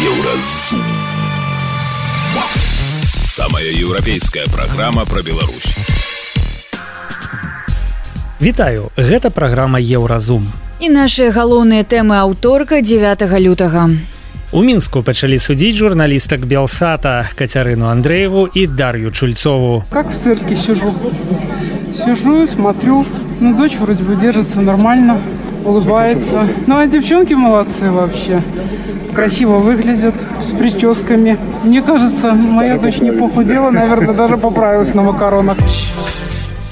Еўразум. Самая еўрапейская праграма пра Беларусь. Вітаю, гэта праграма Еўразум. І нашыя галоўныя тэмы аўторка 9 лютага. У Мінску пачалі судзіць журналістак Белсата Кацярыну Андрэеву і Дар'ю Чульцову. Как в цирке сижу и смотрю, дочь вроде бы держится нормально, улыбается. А девчонки молодцы вообще. Красиво выглядят, с прическами. Мне кажется, моя дочь не похудела, наверное, даже поправилась на макаронах.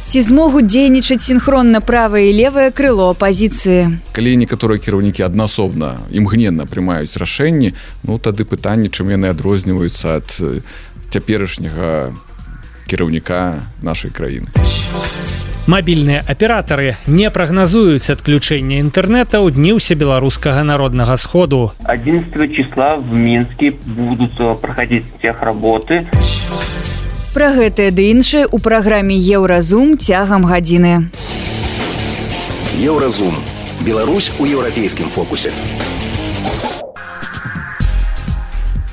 Ці змогуць дзейнічаць сінхронна правае і левае крыло апазіцыі? Калі некаторыя кіраўнікі аднасобна, імгненна прымаюць рашэнні, тады пытанне, чым яны адрозніваюцца ад цяперашняга кіраўніка нашай краіны. Мабільныя аператары не прагназуюць адключэнне інтэрнэта ў дні ўсебеларускага народнага сходу. 11 числа в Мінске будуць праходзіць техработы. Пра гэтае ды іншае ў праграме Еўразум цягам гадзіны. Еўразум. Беларусь у еўрапейскім фокусе.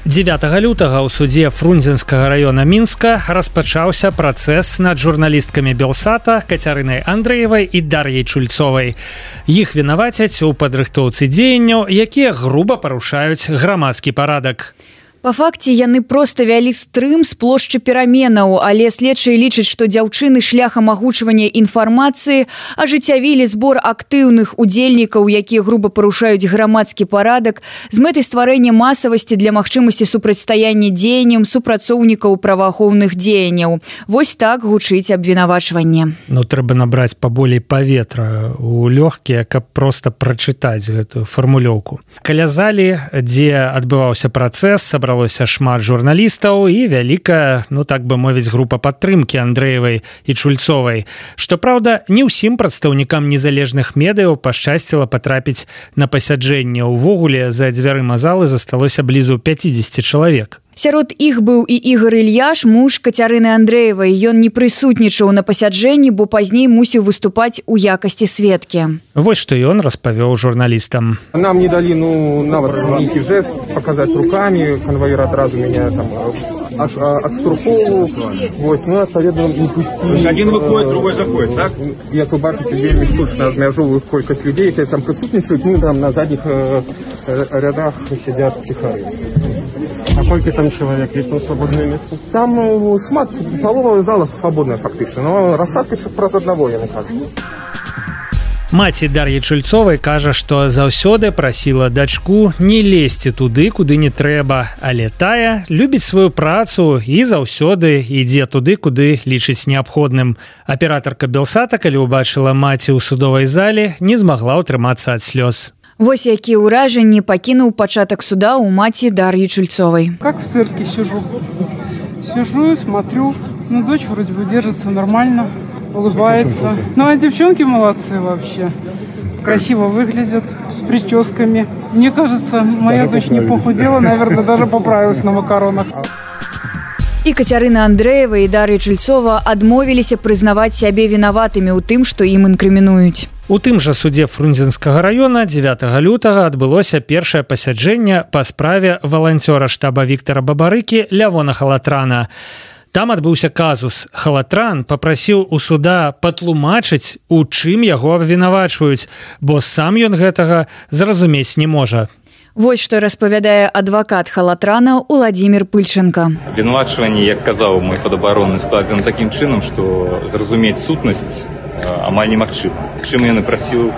9 лютага ў судзе Фрунзенскага раёна Мінска распачаўся працэс над журналісткамі Белсата Кацярынай Андрэевай і Дар'яй Чульцовай. Іх вінавацяць у падрыхтоўцы дзеянняў, якія груба парушаюць грамадскі парадак. Па факце яны проста вялі стрым з плошчы пераменаў, але следчыя лічаць, што дзяўчыны шляхам агучвання інфармацыі ажыццявілі збор актыўных удзельнікаў, якія груба парушаюць грамадскі парадак, з мэтай стварэння масавасці для магчымасці супрацьстаяння дзеянням супрацоўнікаў праваахоўных дзеянняў. Вось так гучыць абвінавачванне. Трэба набраць паболей паветра ў лёгкія, каб проста прачытаць гэтую фармулёўку. Каля залі, дзе адбываўся працэс, сабралося шмат журналістаў і вялікая, так бы мовіць, група падтрымкі Андрэевай і Чульцовай. Што праўда, не ўсім прадстаўнікам незалежных медыяў пашчасціла патрапіць на пасяджэнне. Увогуле, за дзвярыма залы засталося блізу 50 чалавек. Сярод іх быў і Ігар Ільяш, муж Кацярыны Андрэевай. Ён не прысутнічаў на пасяджэнні, бо пазней мусіў выступаць у якасці сведкі. Вось што ён распавёў журналістам. Нам не далі, нават нейкі жест паказаць рукамі, канваір адразу мяне адштурхоўваў. Вось, адпаведна, не пусцілі. Один выходит, другой заходит, так? Як вы бачыце, вельмі штучна абмяжоўваюць колькасць людзей, якія там прысутнічаюць, там на задніх рядах сядзяць ціхары. А колькі там человек? Есть там свободное место? Там шмат, полова зала свободная фактично, но рассадка праз аднаго, яны кажуць. Маці Дар'і Чульцовай кажа, што заўсёды прасіла дачку не лезці туды, куды не трэба, але тая любіць сваю працу і заўсёды ідзе туды, куды лічыць неабходным. Аператарка Белсата, калі ўбачыла маці ў судовай зале, не змагла ўтрымацца ад слёз. Вось якія ўражанні пакінуў пачатак суда ў маці Дар'і Чульцовай. Как в цирке сижу и смотрю, дочь вроде бы держится нормально, улыбается. Девчонки молодцы вообще. Красиво выглядят, с прическами. Мне кажется, моя дочь не похудела, наверное, даже поправилась на макаронах. І Кацярына Андрэева і Дар'я Чульцова адмовіліся прызнаваць сябе вінаватымі ў тым, што ім інкрымінуюць. У тым жа судзе Фрунзенскага раёна 9 лютага адбылося першае пасяджэнне па справе валанцёра штаба Віктара Бабарыкі Лявона Халатрана. Там адбыўся казус. Халатран папрасіў у суда патлумачыць, у чым яго абвінавачваюць, бо сам ён гэтага зразумець не можа. Вось што распавядае адвакат Халатрана Уладзімір Пыльченка. Абвінавачванне, як казаў мой падабаронны, складзена такім чынам, што зразумець сутнасць амаль немагчыма. Чым ён і прасіў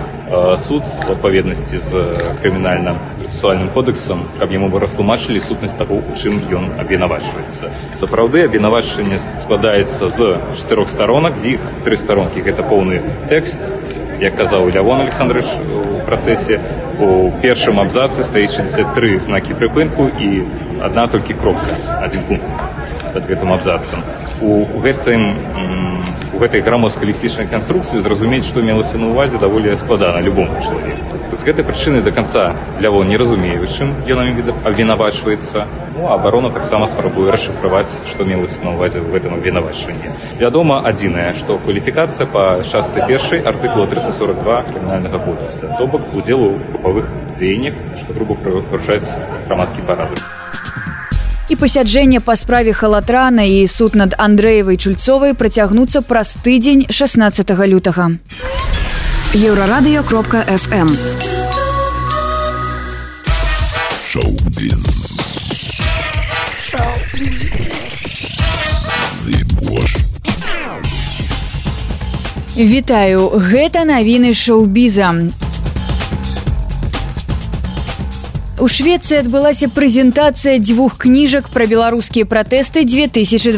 суд у адпаведнасці з крымінальна-працэсуальным кодэксам, каб яму бы растлумачылі сутнасць таго, у чым ён абвінавачваецца. Сапраўды, абвінавачванне складаецца з 4 старонак, з іх 3 старонкі. Гэта поўны тэкст, як казаў Лявон Александрович у працэсе. У першым абзацы стаіць 63 знакі прыпынку і адна толькі кропка, адзін пункт пад гэтым абзацам. У гэтай грамадска-лексічнай канструкцыі зразумець, што мелася на ўвазе, даволі складана любому чалавеку. З гэтай прычыны до конца Лявон не разумее, чым ён абвінавачваецца. Ну, а абарона таксама спрабуе расшыфраваць, што мелася на ўвазе ў гэтым абвінавачванні. Вядома адзінае, што кваліфікацыя па частцы першай артыкула 342 крымінальнага кодекса, то бок удзелу ў групавых дзеяннях, што груба парушаць грамадскі парадак. І пасяджэнне па справе Халатрана і суд над Андрэевай Чульцовай працягнуцца праз тыдзень 16 лютага. Еврорадио.FM. Шоу-біз. Вітаю, гэта навіны шоу-біза. У Швецыі адбылася прэзентацыя 2 кніжак пра беларускія пратэсты 2020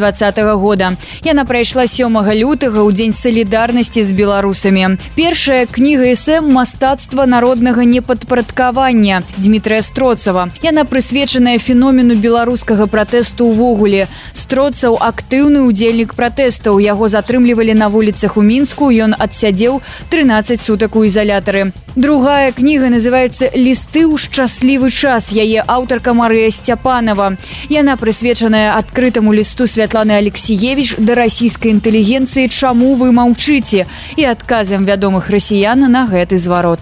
года. Яна прайшла 7 лютага ў дзень салідарнасці з беларусамі. Першая кніга эсэ «Мастацтва народнага непадпарадкавання» Дмітрыя Строцава. Яна прысвечаная феномену беларускага пратэсту ўвогуле. Строцаў актыўны ўдзельнік пратэстаў. Яго затрымлівалі на вуліцах у Мінску. Ён адсядзеў 13 сутак у ізалятары. Другая кніга называецца «Лісты ў шчаслівы час». Яе аўтарка Марыя Сцяпанова. Яна прысвечаная адкрытаму лісту Святланы Алексіевіч да расійскай інтэлігенцыі «Чаму вы маўчыце?» і адказам вядомых расіян на гэты зварот.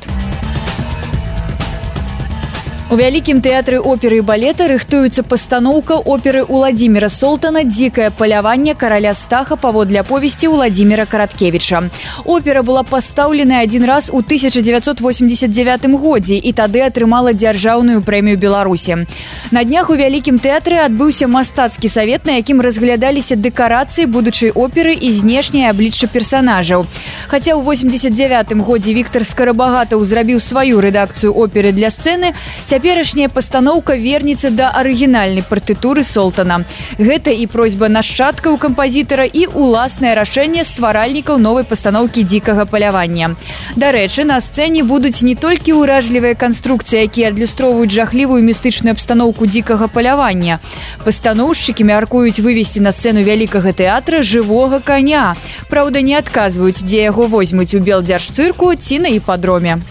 У вялікім тэатры оперы і балета рыхтуецца пастаноўка оперы Уладзіміра Солтана «Дзікае паляванне караля Стаха» паводле аповесці Уладзіміра Караткевіча. Опера была пастаўлена адзін раз у 1989 годзе і тады атрымала дзяржаўную прэмію Беларусі. На днях у вялікім тэатры адбыўся мастацкі савет, на якім разглядаліся дэкарацыі будучай оперы і знешняе аблічча персанажаў. Хаця ў 89 годзе Віктар Скарабагатаў зрабіў сваю рэдакцыю оперы для сцэны, цяперашняя пастаноўка вернецца да арыгінальнай партытуры Солтана. Гэта і просьба нашчадкаў кампазітара і уласнае рашэнне стваральнікаў новай пастаноўкі «Дзікага палявання». Дарэчы, на сцэне будуць не толькі ўражлівыя канструкцыі, якія адлюстроўваюць жахлівую містычную абстаноўку «Дзікага палявання». Пастаноўшчыкі мяркуюць вывесці на сцэну вялікага тэатра жывога каня. Праўда, не адказваюць, дзе яго возьмуць у Белдзяржцырку ці на іпадроме.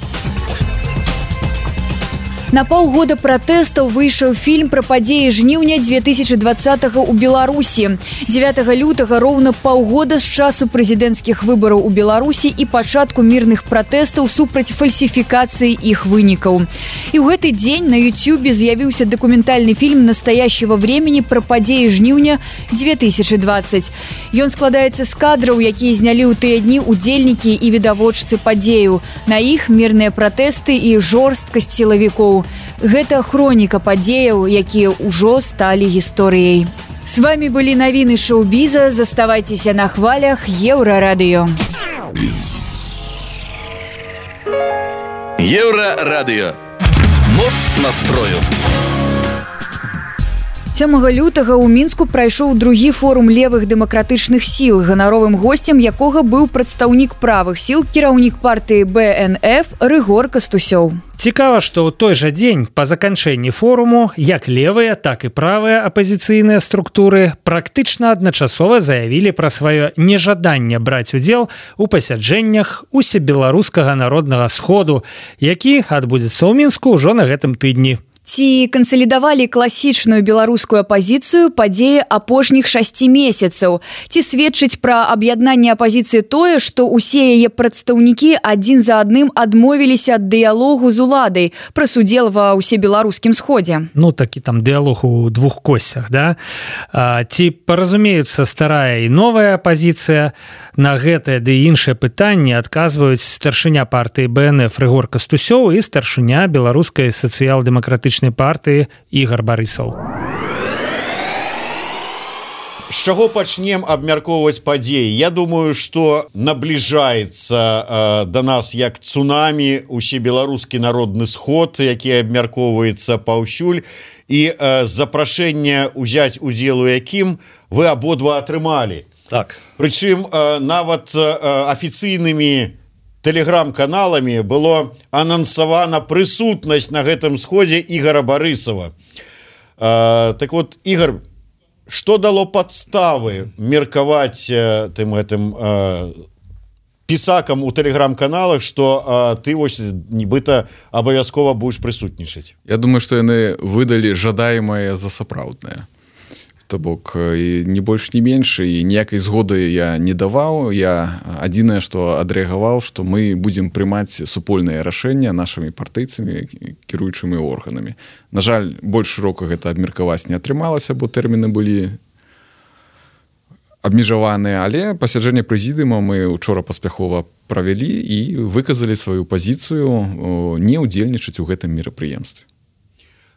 На паўгода пратэстаў выйшаў фільм пра падзеі жніўня 2020 у Беларусі. 9 лютага роўна паўгода з часу прэзідэнцкіх выбараў у Беларусі і пачатку мірных пратэстаў супраць фальсіфікацыі іх вынікаў. І ў гэты дзень на Ютюбе з'явіўся дакументальны фільм «Настоящего времени» пра падзеі жніўня 2020. Ён складаецца з кадраў, якія знялі ў тыя дні удзельнікі і відавочцы падзею. На іх мірныя пратэсты і жорсткасць сілавікоў. Гэта хроніка падзеяў, якія ўжо сталі гісторыяй. С вами былі навіны шоу-біза. Заставайцеся на хвалях Еўрарадыё. Еўрарадыё. Моц настрою. 7 лютага ў Мінску прайшоў другі форум левых дэмакратычных сіл, ганаровым госцем якога быў прадстаўнік правых сіл, кіраўнік партыі БНФ Рыгор Кастусёў. Цікава, што ў той жа дзень па заканчэнні форуму як левыя, так і правыя апазіцыйныя структуры практычна адначасова заявілі пра сваё нежаданне браць удзел у пасяджэннях усебеларускага народнага сходу, які адбудзецца ў Мінску ўжо на гэтым тыдні. Ці кансалідавалі класічную беларускую апазіцыю падзеі апошніх 6 месяцаў? Ці сведчыць пра аб'яднанне апазіцыі тое, што ўсе яе прадстаўнікі адзін за адным адмовіліся ад дыялогу з уладай пра удзел ва ўсебеларускім сходзе? Ну, такі там дыялог у двух косцях, да? Ці паразумеюцца старая і новая апазіцыя? На гэтае ды іншае пытанне адказваюць старшыня партыі БНФ Рыгор Кастусёў і старшыня беларускай сацыял-дэмакратычнай партыі Ігар Барысаў. З чаго пачнем абмяркоўваць падзеі? Я думаю, што набліжаецца да нас як цунамі усебеларускі народны сход, які абмяркоўваецца паўсюль, і запрашэнне ўзяць удзел у якім вы абодва атрымалі. Так. Прычым нават афіцыйнымі тэлеграм-каналамі было анансавана прысутнасць на гэтым сходзе Ігара Барысава. Так вот, Ігар, што дало падставы меркаваць тым гэтым пісакам у тэлеграм-каналах, што ты вось нібыта абавязкова будзеш прысутнічаць. Я думаю, што яны выдалі жадаемае за сапраўднае. То бок і не больш не менш, і ніякай згоды я не даваў. Я адзінае, што адрэагаваў, што мы будзем прымаць супольныя рашэння нашымі партыйцамі, кіруючымі органамі. На жаль, больш шырока гэта абмеркаваць не атрымалася, бо тэрміны былі абмежаваныя, але пасяджэнне прэзідыума мы учора паспяхова правялі і выказалі сваю пазіцыю не ўдзельнічаць у гэтым мерапрыемстве.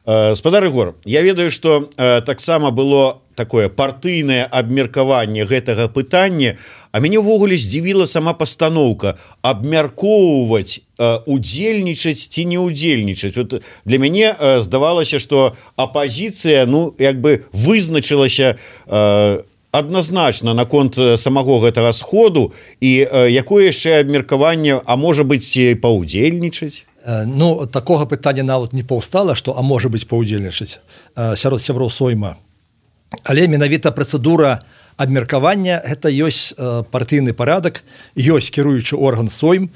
Спадар Ігор, я ведаю, што таксама было такое партыйнае абмеркаванне гэтага пытання, а мяне ўвогуле здзівіла сама пастаноўка абмяркоўваць, удзельнічаць ці не удзельнічаць. Вот для мяне здавалася, што апазіцыя як бы вызначылася адназначна наконт самого гэтага сходу, і якое яшчэ абмеркаванне, а можа быць паўдзельнічаць? Ну, такога пытання нават не паўстала, што а можа быць паўдзельнічаць сярод сяброў Сойма. Але менавіта працэдура абмеркавання гэта ёсць партыйны парадак, ёсць кіруючы орган Сойм,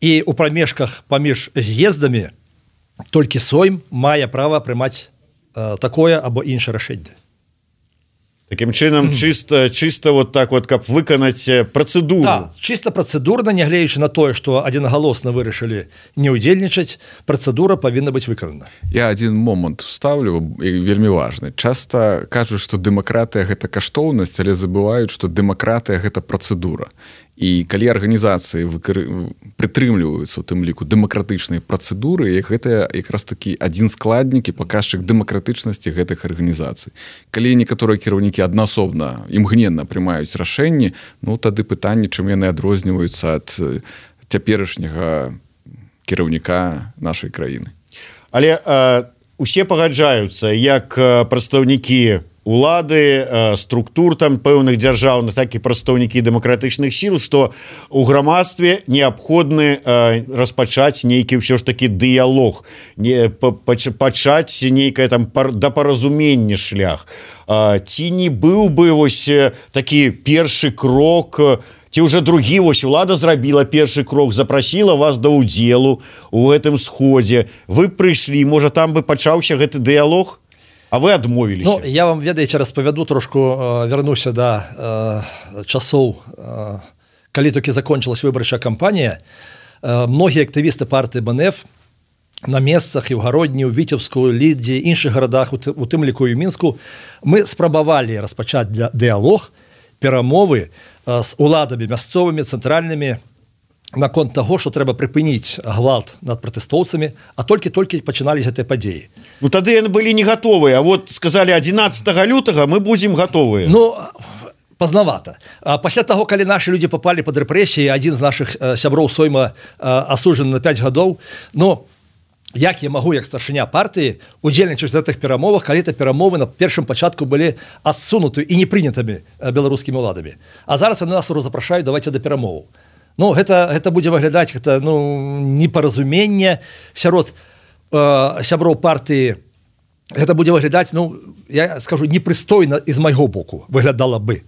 і ў прамежках паміж з'ездамі толькі Сойм мае права прымаць такое або іншае рашэнне. Такім чынам чыста вот так вот, каб выканаць працэдуру. Да, чыста працэдурна, нягледзячы на тое, што адзінагалосна вырашылі не ўдзельнічаць, працэдура павінна быць выканана. Я адзін момант ставлю, вельмі важны. Часта кажуць, што дэмакратыя гэта каштоўнасць, але забываюць, што дэмакратыя гэта працэдура. І калі арганізацыі прытрымліваюцца у тым ліку дэмакратычнай працэдуры, гэта якраз такі адзін складнік і паказчык дэмакратычнасці гэтых арганізацый. Калі некаторыя кіраўнікі аднасобна імгненна прымаюць рашэнні, тады пытанне, чым яны адрозніваюцца ад цяперашняга кіраўніка нашай краіны. Але усе пагаджаюцца, як прадстаўнікі улады, структур там пэўных дзяржаўных, так і прадстаўнікі дэмакратычных сіл, што ў грамадстве неабходны распачаць нейкі ўсё ж такі дыялог, пачаць нейкае там дапаразуменне шлях. Ці не быў бы вось такі першы крок, ці ўжо другі, вось улада зрабіла першы крок, запрасіла вас да ўдзелу ў гэтым сходзе, вы прыйшлі, можа там бы пачаўся гэты дыялог? А вы адмовіліся? Ну, я вам, ведаеце, распавяду трошку, вярнуся да часоў, калі толькі закончылась выбарчая кампанія. Многія актывісты партыі БНФ на месцах і ў Гародні, у Віцебску, Лідзе, іншых гарадах, у тым ліку і ў Мінску, мы спрабавалі распачаць дыялог, перамовы з уладамі мясцовымі, цэнтральнымі, наконт таго, што трэба прыпыніць гвалт над пратэстоўцамі, а толькі-толькі пачынались гэтыя падзеі. Ну, тады яны былі не гатовыя, а вот сказалі 11 лютага мы будзем гатовыя. Ну, пазнавата. Пасля таго, калі нашы людзі папалі пад рэпрэсіі, адзін з нашых сяброў Сойма асуджаны на 5 гадоў, ну, як я магу, як старшыня партыі, удзельнічаць у гэтых перамовах, калі это перамовы на першым пачатку былі адсунуты і не прынятымі беларускімі ўладамі. А зараз яны нас запрашаюць, давайце да перамоваў. Ну, гэта будзе выглядаць непаразуменне сярод сяброў партыі. Гэта будзе выглядаць, я скажу, непрыстойна і з майго боку выглядала бы.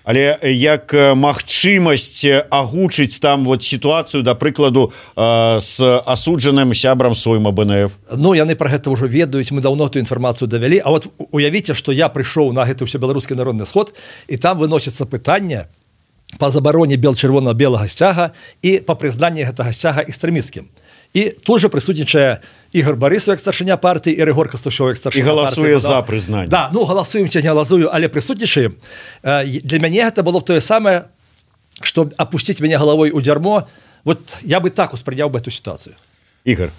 Але як магчымасць агучыць там вот сітуацыю, да прыкладу, з асуджаным сябрам Сойма БНФ? Ну, яны пра гэта ўжо ведаюць, мы даўно ту інфармацыю давялі. А вот уявіце, што я прыйшоў на гэты ўсебеларускі народны сход, і там выносіцца пытанне па забароне чырвона-белага сцяга і па прызнанні гэтага сцяга экстрэмісцкім. І тут жа прысутнічае Ігор Барысаў, як старшыня партыі, і Рыгор Кастушоў, як старшыня партыі. І галасуе за прызнанне. Да, галасуем ці не галасую, але прысутнічаем. Для мяне гэта было б тое самае, што апусціць мяне галавой у дзярмо. Вот я бы так успрыняў бы эту сітуацыю. Ігор,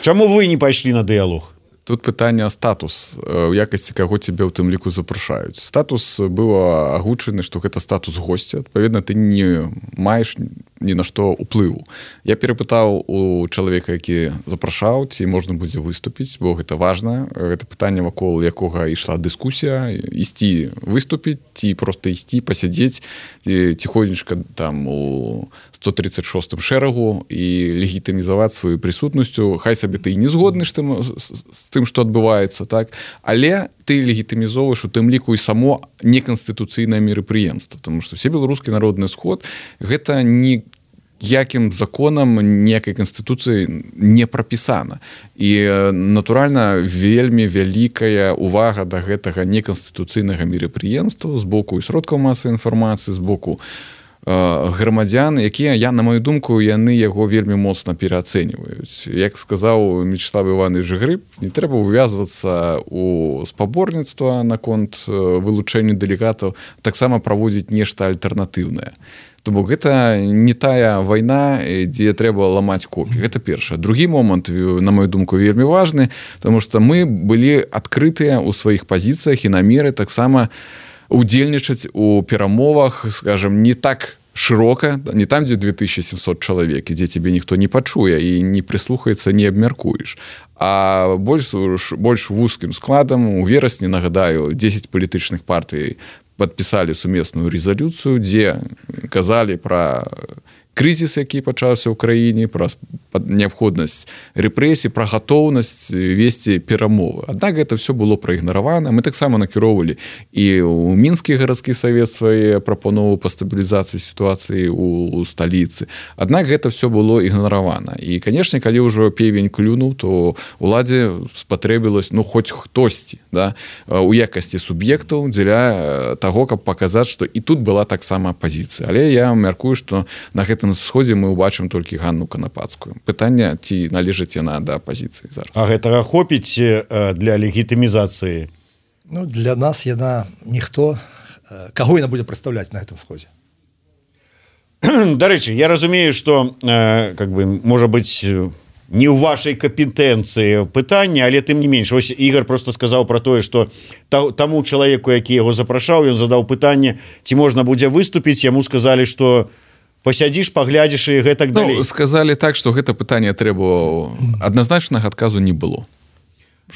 чаму вы не пайшлі на дыялог? Тут пытанне статус, у якасці каго цябе ў тым ліку запрашаюць. Статус быў агучаны, што гэта статус госця. Адпаведна, ты не маеш ні на што ўплыву. Я перапытаў у чалавека, які запрашаў, ці можна будзе выступіць, бо гэта важна. Гэта пытанне, вакол якога ішла дыскусія, ісці выступіць, ці проста ісці, пасядзець ціхонечка там у 136-м шэрагу і легітымізаваць сваю прысутнасцю. Хай сабе ты і не згодны з тым, што адбываецца, так? Але ты легітымізоўваеш у тым ліку і само неканстытуцыйнае мерапрыемства, тому што Всебеларускі народны сход гэта ніякім законам, ніякай канстытуцыі не прапісана. І, натуральна, вельмі вялікая увага да гэтага неканстытуцыйнага мерапрыемства з боку і сродкаў масавай інфармацыі, з боку грамадзян, якія, на маю думку, яны яго вельмі моцна пераацэньваюць. Як сказаў Мячеслав Іванович Грыб, не трэба ўвязвацца ў спаборніцтва наконт вылучэння дэлегатаў, таксама праводзіць нешта альтэрнатыўнае. То бок гэта не тая вайна, дзе трэба ламаць копі. Гэта першае. Другі момант, на маю думку, вельмі важны, таму што мы былі адкрытыя ў сваіх пазіцыях і намеры таксама удзельнічаць у перамовах, скажем, не так шырока, не там, дзе 2700 чалавек, дзе цябе ніхто не пачуе і не прыслухаецца, не абмяркуеш. А больш вузкім складам, у верасні, нагадаю, 10 палітычных партый падпісалі сумесную рэзалюцыю, дзе казалі пра крызіс, які пачаўся ў краіне, пра неабходнасць рэпрэсій, пра гатоўнасць весці перамовы. Аднак гэта все было праігнаравана. Мы таксама накіроўвалі і ў Мінскі гарадскі савет свае прапановы па стабілізацыі сітуацыі ў сталіцы. Аднак гэта все было ігнаравана. І, канешне, калі ўжо певень клюнуў, то уладзе спатрэбілась, хоць хтосьці, да, у якасці суб'ектаў дзеля таго, каб паказаць, што і тут была таксама апазіцыя. Але я мяркую, што на гэтым сходзе мы ўбачым толькі Ганну Канапацкую. Пытанне, ці належыць яна да апазіцыі зараз. А гэтага хопіць для легітымізацыі? Для нас яна ніхто. Каго яна будзе прадстаўляць на гэтым сходзе? Дарэчы, я разумею, што можа быць не ў вашай кампетэнцыі пытання, але тым не менш. Вось Ігор просто сказаў пра тое, што таму чалавеку, які яго запрашаў, ён задаў пытанне, ці можна будзе выступіць, яму сказалі, што пасядзіш, паглядзіш і гэтак далей. Сказалі так, што гэта пытанне трэба, адназначнага адказу не было.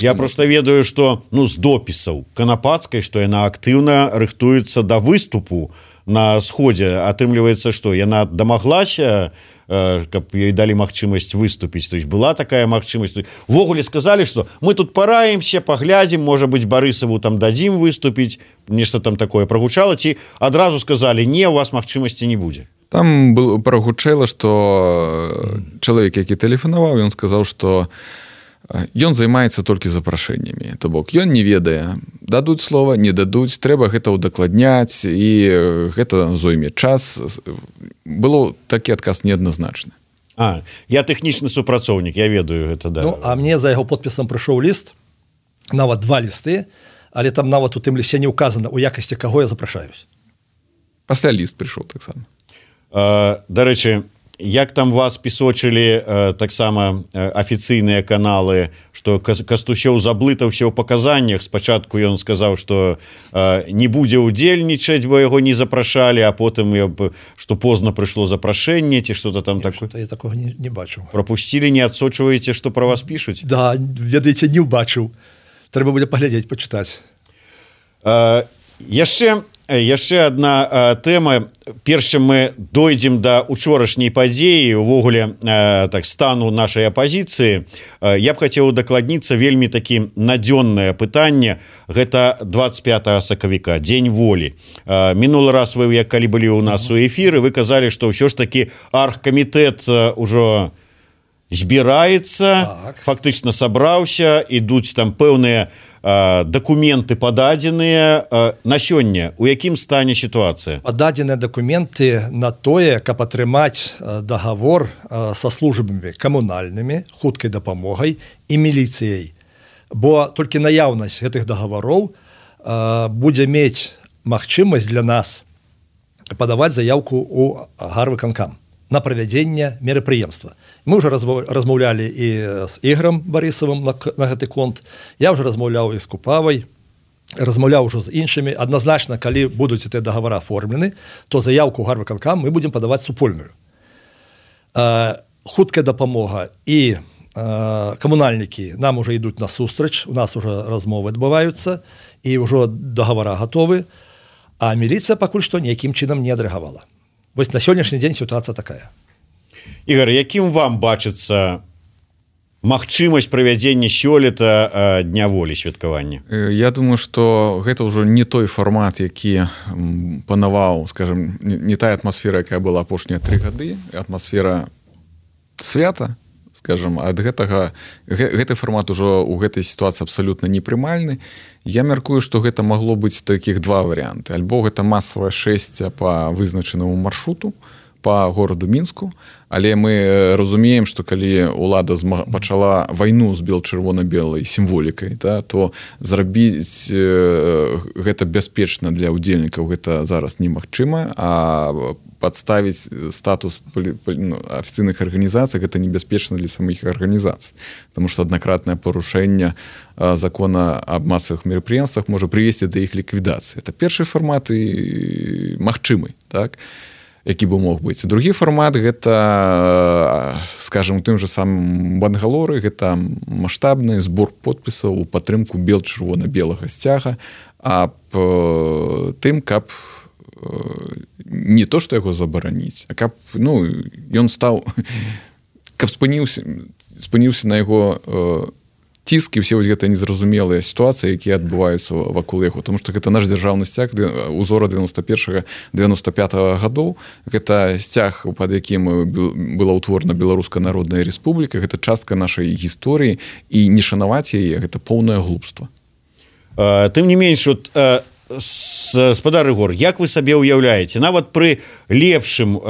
Я просто ведаю, што з допісаў Канапацкай, што яна актыўна рыхтуецца да выступу на сходзе. Атрымліваецца, што яна дамаглася, каб ёй далі магчымасць выступіць. То есть была такая магчымасць. Увогуле сказалі, што мы тут параімся, паглядзім, можа быць, Барысаву там дадзім выступіць, нешта там такое прагучала, ці адразу сказалі, не, у вас магчымасці не будзе. Там прагучала, што чалавек, які тэлефанаваў, ён сказаў, што ён займаецца толькі запрашэннямі. То бок, ён не ведае, дадуць слова, не дадуць, трэба гэта ўдакладняць, і гэта зойме час. Было такі адказ неадназначны. Я тэхнічны супрацоўнік, я ведаю гэта, да. А мне за яго подпісам прыйшоў ліст, нават 2 лісты, але там нават у тым лісце не ўказана, у якасці каго я запрашаюсь. Пасля ліст прыйшоў таксама. Дарэчы, як там вас пісочылі таксама афіцыйныя каналы, што Кастусёў заблытаўся ў паказаннях. Спачатку ён сказаў, што не будзе ўдзельнічаць, бо яго не запрашалі, а потым, што позна прыйшло запрашэнне, ці што-то там такое. Я такога не бачыў. Прапусцілі, не адсочваеце, што пра вас пішуць? Да, ведаеце, не ўбачыў. Трэба будзе паглядзець, пачытаць. Яшчэ адна тэма. Перш чым мы дойдзем да учорашняй падзеі, увогуле стану нашай апазіцыі, я б хацеў удакладніцца вельмі такі надзённае пытанне. Гэта 25 сакавіка, дзень волі. Мінулы раз вы, калі былі ў нас у эфіры, вы казалі, што ўсё ж такі аргкамітэт ужо збіраецца, фактычна сабраўся, ідуць там пэўныя дакументы пададзеныя. На сёння у якім стане сітуацыя? Пададзеныя дакументы на тое, каб атрымаць дагавор са службамі камунальнымі, хуткай дапамогай і міліцыяй. Бо толькі наяўнасць гэтых дагавароў будзе мець магчымасць для нас падаваць заяўку ў гарвыканкам на правядзенне мерапрыемства. Мы ўжо размаўлялі і з Ігорам Барысавым на гэты конт. Я ўжо размаўляў і з Купавай, размаўляў ужо з іншымі. Адназначна, калі будуць гэтыя дагавары аформлены, то заяўку ў гарвыканкам мы будзем падаваць супольную. Хуткая дапамога і камунальнікі нам уже ідуць насустрач, у нас уже размовы адбываюцца і ўжо договора готовы, а міліцыя пакуль што ніякім чынам не адрэагавала. Вось на сённяшні дзень сітуацыя такая. Ігор, якім вам бачыцца магчымасць правядзення сёлета дня волі святкавання? Я думаю, што гэта ўжо не той фармат, які панаваў, скажем, не тая атмасфера, якая была апошнія 3 гады, атмасфера свята, скажем, ад гэтага гэты фармат ужо ў гэтай сітуацыі абсалютна непрымальны. Я мяркую, што гэта магло быць такіх 2 варыянты. Альбо гэта масавае шэсце па вызначанаму маршруту па гораду Мінску, але мы разумеем, што калі ўлада пачала вайну з бел-чырвона-белай сімволікай, то зрабіць гэта бяспечна для ўдзельнікаў гэта зараз немагчыма, а падставіць статус афіцыйных арганізацый гэта небяспечна для самых арганізацый, потому што аднакратнае парушэнне закона аб масавых мерапрыемствах можа прывесці да іх ліквідацыі. Это першы фармат і магчымы, так? Які бы мог быць. Другі фармат гэта, скажем, у тым же самым Бангалоры, гэта маштабны збор подпісаў у падтрымку бел-чырвона-белага сцяга, аб тым, каб не то, што яго забараніць, а каб ён стаў, каб спыніўся на яго ціск і ўсе гэтыя незразумелыя сітуацыі, якія адбываюцца вакол яго, тому што гэта наш дзяржаўны сцяг узора 91-95 гадоў, гэта сцяг, пад якім была ўтворана Беларуская народная рэспубліка, гэта частка нашай гісторыі, і не шанаваць яе гэта поўнае глупства. Тым не менш, спадар Ігор, як вы сабе ўяўляеце, нават пры лепшым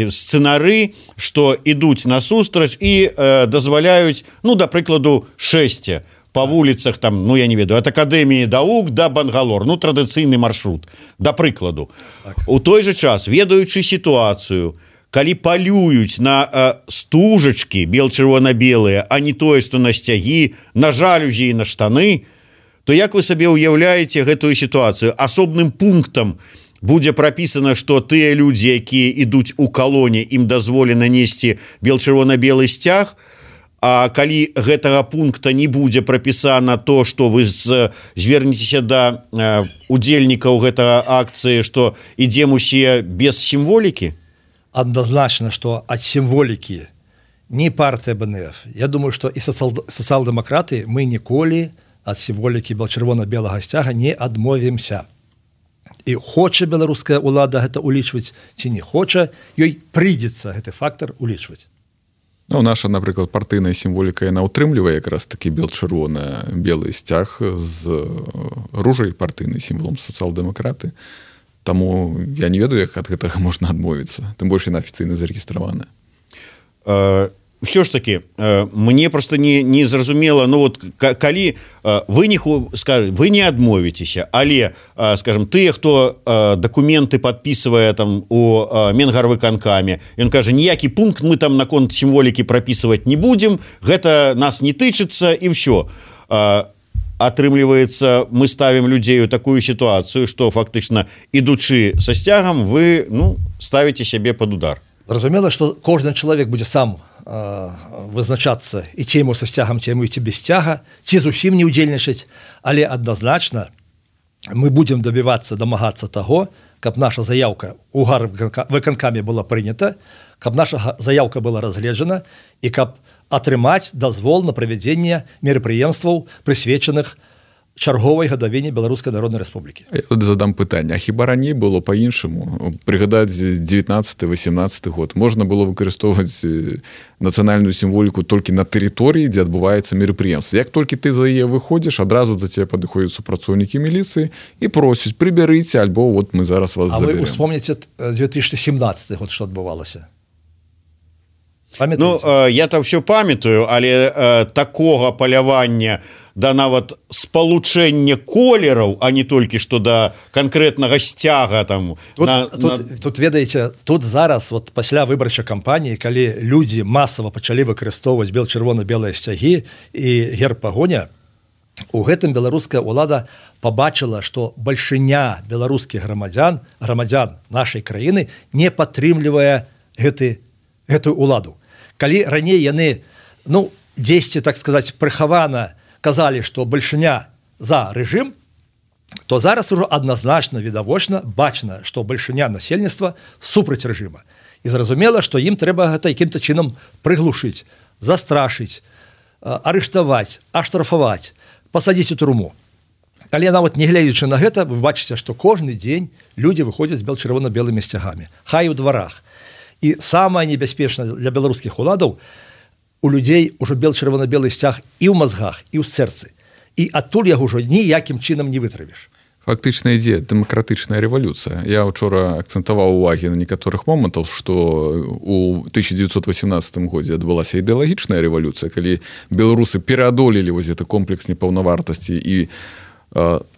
сцэнары, што ідуць насустрач і дазваляюць, да прыкладу, шэсце па вуліцах, там, я не ведаю, ад Акадэміі Даук да Бангалор, традыцыйны маршрут, да прыкладу. У той жа час, ведаючы сітуацыю, калі палююць на стужачкі бел-чырвона-белыя, а не тое, што на сцягі, на жалюзі і на штаны, то як вы сабе ўяўляеце гэтую сітуацыю? Асобным пунктам будзе прапісана, што тыя людзі, якія ідуць у калоне, ім дазволена несці бел-чырвона-белы сцяг, а калі гэтага пункта не будзе прапісана то, што вы звернецеся да удзельнікаў гэтага акцыі, што ідзем усе без сімволікі? Адназначна, што ад сімволікі не партыя БНФ. Я думаю, што і сацыял-дэмакраты мы ніколі ад сімволікі бел-чырвона-белага сцяга не адмовімся. І хоча беларуская ўлада гэта улічваць ці не хоча, ёй прыйдзецца гэты фактар улічваць. Наша, напрыклад, партыйная сімволіка, яна ўтрымлівае якраз такі бел-чырвона-белы сцяг з ружай, партыйнай сімволам сацыял-дэмакраты. Таму я не ведаю, як ад гэтага можна адмовіцца. Тым больш яна афіцыйна зарэгістраваная. Ўсё ж такі, мне просто не зразумела, калі вы не адмовіцеся, але, скажем, тыя, хто дакументы падпісвае там у Менгарвыканкаме, ён кажа, ніякі пункт мы там наконт сімволікі прапісваць не будзем, гэта нас не тычыцца і ўсё. Атрымліваецца, мы ставім людзей у такую сітуацыю, што фактычна, ідучы са сцягам, вы ставіце сябе пад удар. Зразумела, што кожны чалавек будзе сам вызначацца і ці яму са сцягам, ці яму ці без сцяга, ці зусім не ўдзельнічаць, але адназначна мы будзем дамагацца таго, каб наша заяўка ў гарвыканкаме была прынята, каб наша заяўка была разгледжана і каб атрымаць дазвол на правядзенне мерапрыемстваў, прысвечаных чарговай гадавіне Беларускай народнай рэспублікі. Я задам пытанне, а хіба раней было па-іншаму? Прыгадаць 19-18 год. Можна было выкарыстоўваць нацыянальную сімволіку толькі на тэрыторыі, дзе адбываецца мерапрыемства. Як толькі ты за яе выходзіш, адразу да цябе падыходзяць супрацоўнікі міліцыі і просяць, прыбярыце, альбо мы зараз вас заберем. А вы успомніце 2017 год, што адбывалася? Я там все памятаю, але такога палявання да нават спалучэння колераў, а не толькі што да канкрэтнага сцяга там. Тут ведаеце, тут зараз пасля выбарчай кампаніі, калі людзі масава пачалі выкарыстоўваць бел-чырвона-белыя сцягі і герб пагоня, у гэтым беларуская ўлада пабачыла, што бальшыня беларускіх грамадзян нашай краіны не падтрымлівае гэты гэтую уладу. Калі раней яны, дзесьці, так сказаць, прыхавана казалі, што бальшыня за рэжым, то зараз ужо адназначна, відавочна, бачна, што бальшыня насельніцтва супраць рэжыма. І зразумела, што ім трэба гэта якім-то чынам прыглушыць, застрашыць, арыштаваць, аштрафаваць, пасадзіць у турму. Але нават не гледзячы на гэта, вы бачыце, што кожны дзень людзі выходзяць з чырвона-белымі сцягамі, хай у дварах. І самае небяспечнае для беларускіх уладаў, у людзей ужо чырвона-белы сцяг і ў мазгах, і ў сэрцы. І адтуль яго ўжо ніякім чынам не вытравіш. Фактычна ідзе дэмакратычная рэвалюцыя. Я учора акцэнтаваў увагі на некаторых момантаў, што ў 1918 годзе адбылася ідэалагічная рэвалюцыя, калі беларусы пераадолелі вось гэты комплекс непаўнавартасці і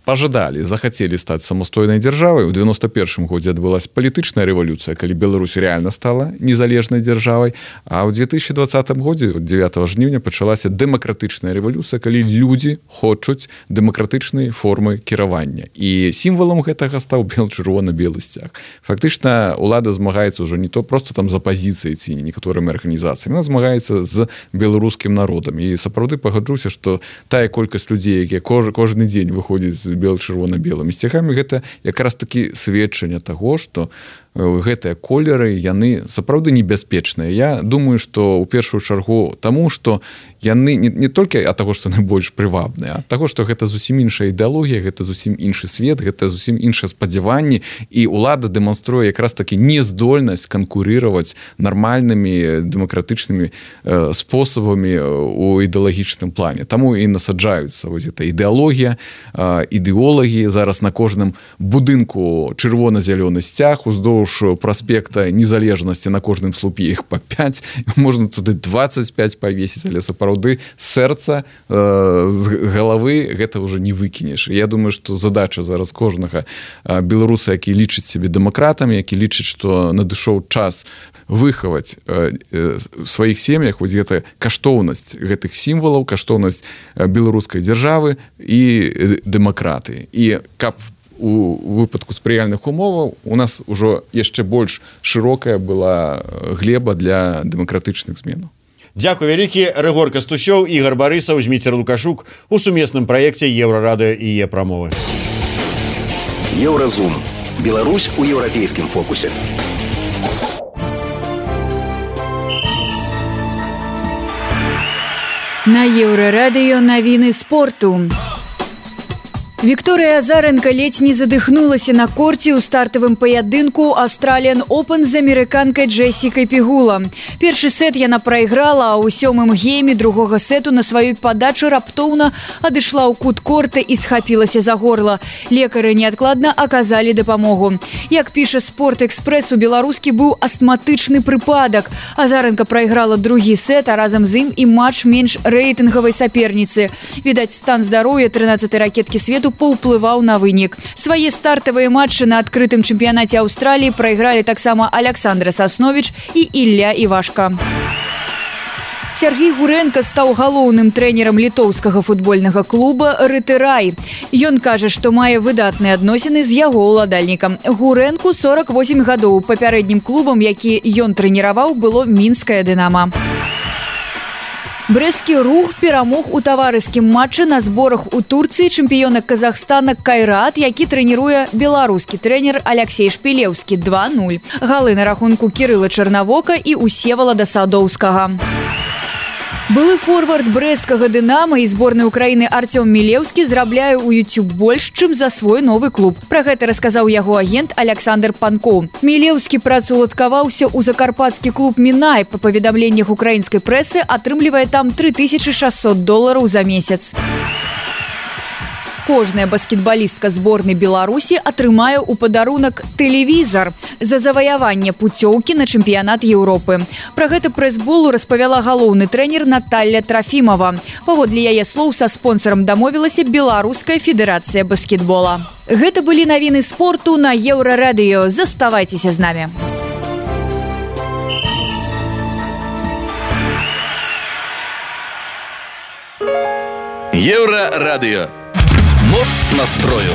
пожадали, захацелі стаць самастойнай дзяржавай. У 91 годзе адбылася палітычная рэвалюцыя, калі Беларусь реально стала незалежнай дзяржавай, а ў 2020 годзе 9 жніўня пачалася дэмакратычная рэвалюцыя, калі людзі хочуць дэмакратычнай формы кіравання. І сімвалам гэтага стаў чырвона-белы сцяг. Фактычна улада змагаецца ўжо не то просто там за пазіцыяй ці некаторымі арганізацыямі, яна змагаецца з беларускім народам. І сапраўды пагаджуся, што тая колькасць людзей, якія кожны дзень выходзіць з чырвона-белымі сцягамі, гэта якраз такі сведчанне таго, што гэтыя колеры, яны сапраўды небяспечныя. Я думаю, што ў першую чаргу таму, што яны не толькі ад таго, што яны больш прывабныя, а ад таго, што гэта зусім іншая ідэалогія, гэта зусім іншы свет, гэта зусім іншыя спадзяванні, і ўлада дэманструе якраз такі нездольнасць канкурыраваць нармальнымі дэмакратычнымі спосабамі у ідэалагічным плане. Таму і насаджаюцца вось гэта ідэалогія, ідэолагі. Зараз на кожным будынку чырвона-зялёны сцяг, уздоўж праспекта незалежнасці на кожным слупе іх па 5, можна туды 25 павесіць, але сапраўды сэрца з галавы гэта ўжо не выкінеш. Я думаю, што задача зараз кожнага беларуса, які лічыць сябе дэмакратамі, які лічыць, што надышоў час выхаваць в сваіх сем'ях вось гэта каштоўнасць гэтых сімвалаў, каштоўнасць беларускай дзяржавы і дэмакраты. І каб у выпадку спрыяльных умоваў у нас ужо яшчэ больш шырокая была глеба для дэмакратычных зменаў. Дзякуй вялікі. Рыгор Кастусёў, Ігор Барысаў, Зміцер Лукашук у сумесным праекце Еўрарадыё і Е-прамовы. Еўразум. Беларусь у еўрапейскім фокусе. На Еўрарадыё навіны спорту. Вікторыя Азаренка ледзь не задыхнулася на корце ў стартавым паядынку Australian Open з амерыканкай Джессікай Пегула. Першы сет яна прайграла, а ў сёмым гейме другога сету на сваёй падачы раптоўна адышла ў кут корта і схапілася за горла. Лекары неадкладна аказалі дапамогу. Як піша Спорт-экспрэс, у беларускі быў астматычны прыпадак. Азаренка прайграла другі сет, а разам з ім і матч менш рэйтынгавай саперніцы. Відаць, стан здароўя 13-й ракеткі свету паўплываў на вынік. Свае стартавыя матчы на адкрытым чэмпіянаце Аўстраліі прайгралі таксама Аляксандра Сасновіч і Ілля Івашка. Сергей Гуренко стаў галоўным трэнерам літоўскага футбольнага клуба «Рытырай». Ён кажа, што мае выдатныя адносіны з яго ўладальнікам. Гуренку 48 гадоў. Папярэднім клубам, які ён трэніраваў, было мінская «Дынама». Брэсцкі рух перамог у таварыскім матчы на зборах у Турцыі чэмпіёна Казахстана Кайрат, які трэніруе беларускі трэнер Аляксей Шпілеўскі 2-0. Галы на рахунку Кірыла Чарнавока і Усевалада Садоўскага. Былы форвард брэсцкага «Дынама» і зборнай Украіны Артём Мілеўскі зарабляе ў YouTube больш, чым за свой новы клуб. Пра гэта расказаў яго агент Аляксандр Панкоў. Мілеўскі працаўладкаваўся ў закарпатскі клуб «Мінай». Па паведамленнях украінскай прэсы атрымлівае там $3600 за месяц. Кожная баскетбалістка зборнай Беларусі атрымае ў падарунак тэлевізар за заваяванне пуцёўкі на чэмпіянат Еўропы. Пра гэта прэс-болу распавяла галоўны трэнер Наталля Трафімова. Паводле яе слоў, са спонсарам дамовілася Беларуская федэрацыя баскетбола. Гэта былі навіны спорту на Еўрарадыё. Заставайцеся з намі. Еўрарадыё. Моц настрою.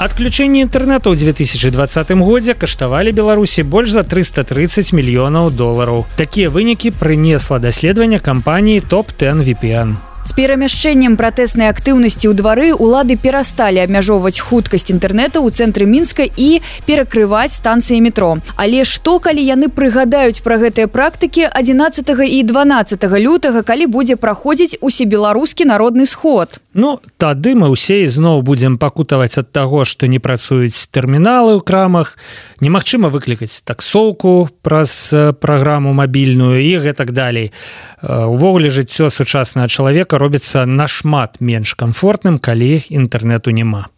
Адключэнне інтэрнэту ў 2020 годзе каштавалі Беларусі больш за 330 мільёнаў долараў. Такія вынікі прынесла даследаванне кампаніі Top-10 VPN. З перамяшчэннем пратэснай актыўнасці ў двары улады перасталі абмяжоўваць хуткасць інтэрнэта ў цэнтры Мінска і перакрываць станцыі метро. Але што, калі яны прыгадаюць пра гэтыя практыкі 11 і 12 лютага, калі будзе праходзіць усебеларускі народны сход? Ну, тады мы ўсе ізноў будзем пакутаваць ад таго, што не працуюць тэрміналы ў крамах, немагчыма выклікаць таксоўку праз праграму мабільную і гэтак далей. Увогуле жыццё сучаснага чалавека робіцца нашмат менш камфортным, калі інтэрнэту няма.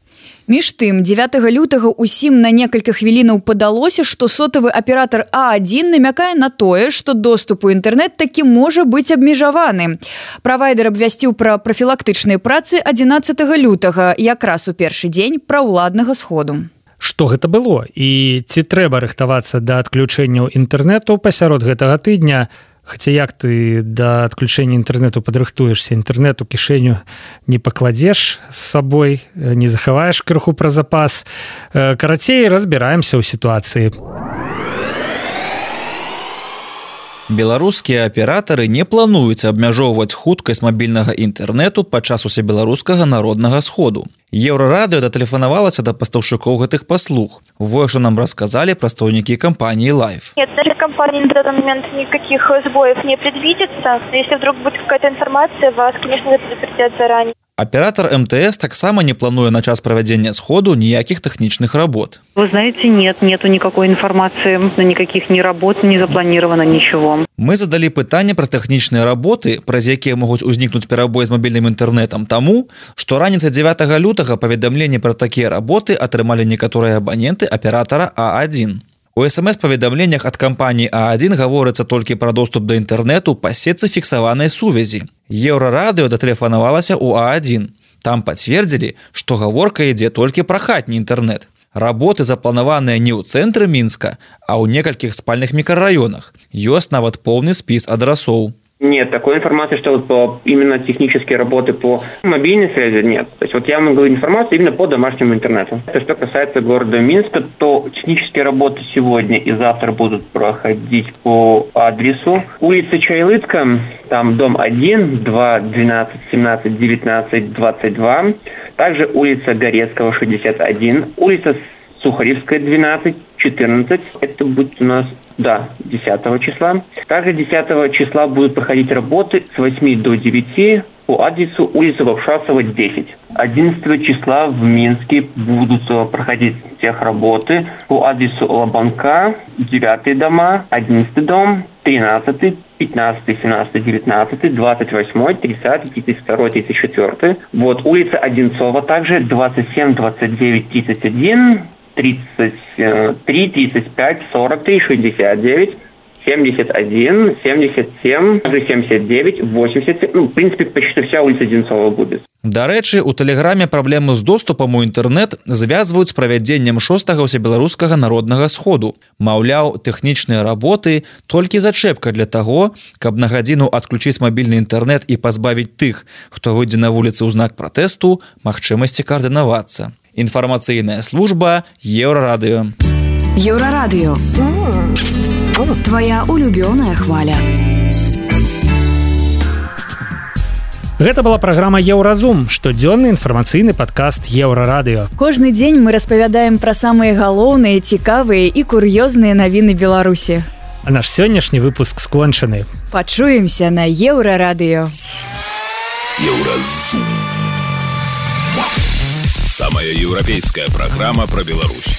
Між тым, 9 лютага усім на некалькі хвілінаў падалося, што сотавы аператар А1 намякае на тое, што доступ у інтэрнэт такі можа быць абмежаваны. Правайдер абвясціў пра прафілактычныя працы 11 лютага, якраз у першы дзень праўладнага сходу. Што гэта было? І ці трэба рыхтавацца да адключэнняў інтэрнэту пасярод гэтага тыдня? Хаця як ты да адключэння інтэрнэту падрыхтуешся, інтэрнэт у кішэню не пакладзеш з сабой, не захаваеш крыху пра запас. Карацей, разбіраемся ў сітуацыі. Беларускія аператары не плануюць абмяжоўваць хуткасць мабільнага інтэрнэту падчас усебеларускага народнага сходу. Еўрарадыё датэлефанавалася да пастаўшчыкоў гэтых паслуг. Вось што нам расказалі прадстаўнікі кампаніі Live. Нет, нашей компании на данный момент никаких сбоев не предвидится. Если вдруг будет какая-то информация, вас, конечно, предупредят заранее. Аператор МТС таксама не плануе на час правядзення сходу ніякіх тэхнічных работ. Вы знаете, нету никакой информации, никаких ни работ, не запланировано ничего. Мы задалі пытанне пра тэхнічныя работы, праз якія могуць узнікнуць перабой з мабільным інтэрнэтам таму, што раніцай 9 лютага паведамленне пра такія работы атрымалі некаторыя абаненты аператара А1. У СМС-паведамленнях ад кампаніі А1 гаворыцца толькі пра доступ да інтэрнэту па сетцы фіксаванай сувязі. Еўрарадыё датэлефанавалася ў А1. Там пацвердзілі, што гаворка ідзе толькі пра хатні інтэрнэт. Работы запланаваныя не ў цэнтры Мінска, а ў некалькіх спальных мікрараёнах. Ёсць нават поўны спіс адрасоў. Нет, такой информации, что вот именно технические работы по мобильной связи нет. То есть вот я могу говорить информацию именно по домашнему интернету. Что касается города Минска, то технические работы сегодня и завтра будут проходить по адресу улица Чайлыцка, там дом 1, 2, 12, 17, 19, 22. Также улица Горецкого, 61, улица Сухаревская, 12, 14. Это будет у нас, 10 числа. Также 10 числа будут проходить работы с 8 до 9 по адресу улица Варшавцева, 10. 11 числа в Минске будут проходить техработы по адресу Лобанка, 9 дома, 11 дом, 13, 15, 17, 19, 28, 30, 32, 34. Вот улица Одинцова также, 27, 29, 31, 33, 35, 43, 69, 71, 77, 79, 87. В принципе, почти вся улица Одинцова будет. Дарэчы, у тэлеграме праблему з доступам у інтэрнэт звязваюць з правядзеннем 6-га ўсебеларускага народнага сходу. Маўляў, тэхнічныя работы толькі зачэпка для таго, каб на гадзіну адключыць мабільны інтэрнэт і пазбавіць тых, хто выйдзе на вуліцы ў знак пратэсту, магчымасці каардынавацца. Інфармацыйная служба Еўрарадыё. Еўрарадыё. Твоя улюбёная хваля. Гэта была праграма Еўразум, штодзённы інфармацыйны падкаст Еўрарадыё. Кожны дзень мы распавядаем пра самыя галоўныя, цікавыя і кур'ёзныя навіны Беларусі. А наш сённяшні выпуск скончаны. Пачуемся на Еўрарадыё. Еўразум. Самая европейская программа про Беларусь.